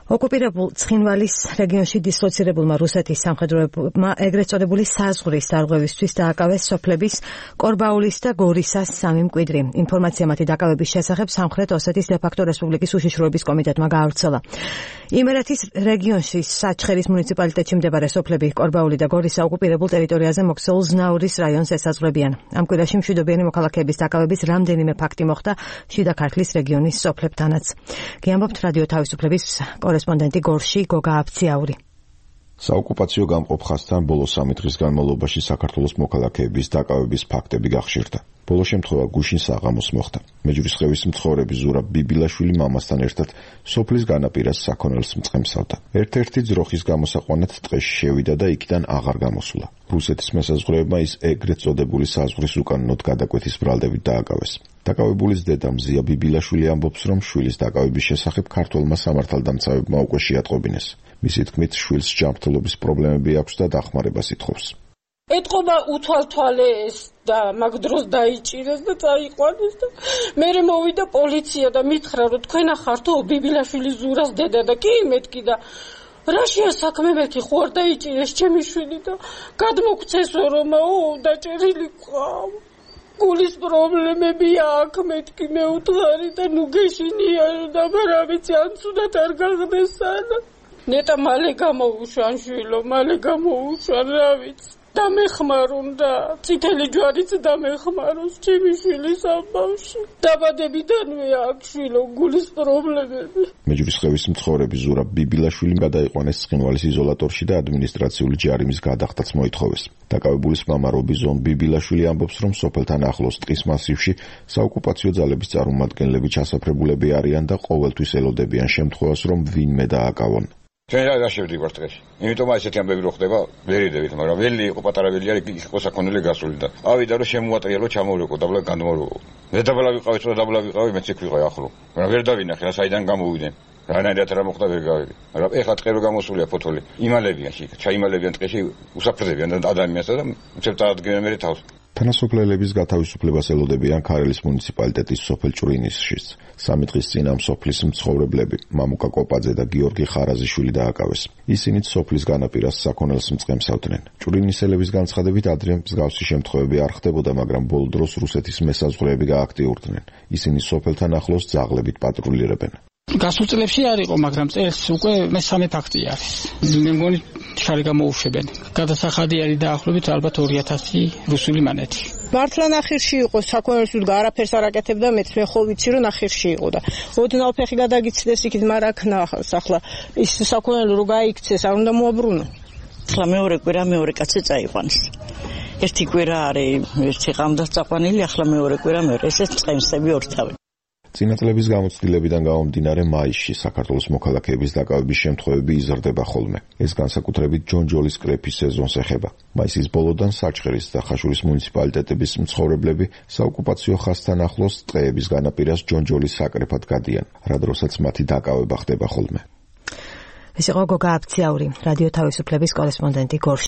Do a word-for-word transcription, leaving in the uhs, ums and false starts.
ოკუპირებულ ცხინვალის რეგიონში დისლოცირებულმა რუსეთის სამხედროებმა ეგრეთ წოდებული საზღვრის დარღვევისთვის დააკავეს სოფლების კორბაულის და გორისას სამი მკვიდრი. ინფორმაცია მათი დაკავების შესახებ სამხრეთ ოსეთის დე-ფაქტო რესპუბლიკის უშიშროების კომიტეტმა გაავრცელა. იმერეთის რეგიონში საჩხერის მუნიციპალიტეტში მდებარე სოფლები კორბაული და გორისა ოკუპირებულ ტერიტორიაზე მოქცეულ ზნაურის რაიონს ესაზღვრებიან. ამ კვირაში მშვიდობიანი მოქალაქეების დაკავების რამდენიმე ფაქტი მოხდა შიდა ქართლის რეგიონის სოფლებთანაც. გიამბობთ რადიო თავისუფლების კორესპონდენტი გორში გოგა აფციაური. საოკუპაციო გამყოფ ხაზთან ბოლო სამი დღის განმავლობაში საქართველოს მოქალაქეების დაკავების ფაქტები გახშირდა. ბოლო შემთხვევა გუშინ საღამოს მოხდა. მეჯვრისხევის მცხოვრები ზურაბ ბიბილაშვილი მამასთან ერთად სოფლის განაპირას საქონელს მწყემსავდა. ერთ-ერთი ძროხის გამოსაყვანად ტყეში შევიდა და იქიდან აღარ გამოსულა. რუსეთის მესაზღვრეებმა ის ეგრეთ წოდებული საზღვრის უკანონოდ გადაკვეთის ბრალდებით დააკავეს. დაკავებულის დედა მზია ბიბილაშვილი ამბობს, რომ შვილის დაკავების შესახებ ქართველმა სამართალდამცავებმა უკვე შეატყობინეს. მისი თქმით, შვილს ჯანმრთელობის პრობლემები აქვს და დახმარებას ითხოვს. ეთყობა უთვალთვალეს და მაგ დროს დაიჭირეს და წაიყვანეს და მერე მოვიდა პოლიცია და მითხრა, რომ თქვენ ახართო ბიბილაშვილის ზურას დედა და კი მეთქი და რაშია საქმე მეთქი ხო არ დაიჭირეს ჩემი შვილი და გადმოგცესო რომაო დაჭერილი ყავ. გულის პრობლემები აქვს მეთქი მე უთხარი და ნუ გეშინია და რა ვიცი ან ცუდად არ გახდეს სანა. ნეტა მალე გამოუშვან შვილო, მალე გამოუშვან რა ვიცი. დამეხმარონ და წითელი ჯვარიც დამეხმაროს ჩემი შვილის ამბავში. დაბადებიდანვე აქვს შვილო გულის პრობლემები. მეჯვრისხევის მცხოვრები ზურაბ ბიბილაშვილი გადაიყვანეს ცხინვალის იზოლატორში და ადმინისტრაციული ჯარიმის გადახდაც მოითხოვეს. დაკავებულის მამა რობიზონ ბიბილაშვილი ამბობს, რომ სოფელთან ახლოს ტყის მასივში საოკუპაციო ძალების წარმომადგენლები ჩასაფრებულები არიან და ყოველთვის ელოდებიან შემთხვევას, რომ ვინმე დააკავონ. ჩვენ რა შევდივართ დღეში. იმიტომ ასეთი ამბები რო ხდება, ვერ იდევით, მაგრამ ველი იყო პატარა ველი არის, იყო საქონელი გასული და ავიდა რომ შემოატრიალო, ჩამოვლეკო, დაბლა განმოვლეკო. მე დაბლა ვიყავი, თუ დაბლა ვიყავი, მეც იქ ვიყავი ახლო. მაგრამ ვერ დავინახე, რა საიდან გამოვიდნენ. რანაირად რა მოხდა ვერ გავიგე. მაგრამ ეხლა ტყე რო გამოსულია ფოთოლი, იმალებიან შე, ჩაიმალებიან ტყეში, უსაფრდებიან და ადამიანსა და უცებ წაადგენენ მე თავს. თანასოფლელების გათავისუფლებას ელოდებიან ქარელის მუნიციპალიტეტის სოფელ ჭვრინისშიც. სამი დღის წინ ამ სოფლის მცხოვრებლები მამუკა კოპაძე და გიორგი ხარაზიშვილი დააკავეს. ისინიც სოფლის განაპირას საქონელს მწყემსავდნენ. ჭვრინისელების განცხადებით ადრე მსგავსი შემთხვევები არ ხდებოდა, მაგრამ ბოლო დროს რუსეთის მესაზღვრეები გააქტიურდნენ. ისინი სოფელთან ახლოს ძაღლებით პატრულირებენ. გასულ წლებში არ იყო, მაგრამ წელს უკვე მესამე ფაქტი არის. მე მგონი შარი გამოუშვებენ. გადასახადი არის დაახლოებით ალბათ ორი ათასი რუსული მანეთი. მართლა ნახირში იყო, საქონელს უთგა არაფერს არ აკეთებდა, მეც მე ხო ვიცი რომ ნახირში იყო და ოდნავ ფეხი გადაგიცდეს იქით, მაგრამ აქ ნახავს ახლა ის საქონელი რო გაიქცეს, არ უნდა მოაბრუნო. ახლა მეორე კვირა მეორე კაცი წაიყვანეს. ერთი კვირა არის, ერთი ღამდა წაყვანილი, ახლა მეორე კვირა მეორე, ესეც წყემსები ორთავი. წინა წლების გამოცდილებიდან გამომდინარე მაისში საქართველოს მოქალაქეების დაკავების შემთხვევები იზრდება ხოლმე. ეს განსაკუთრებით ჯონჯოლის კრეფის სეზონს ეხება. მაისის ბოლოდან საჩხერის და ხაშურის მუნიციპალიტეტების მცხოვრებლები საოკუპაციო ხაზთან ახლოს ტყეების განაპირას ჯონჯოლის საკრეფად გადიან, რა დროსაც მათი დაკავება ხდება ხოლმე. ეს იყო გოგა აფციაური, რადიო თავისუფლების კორესპონდენტი გორში.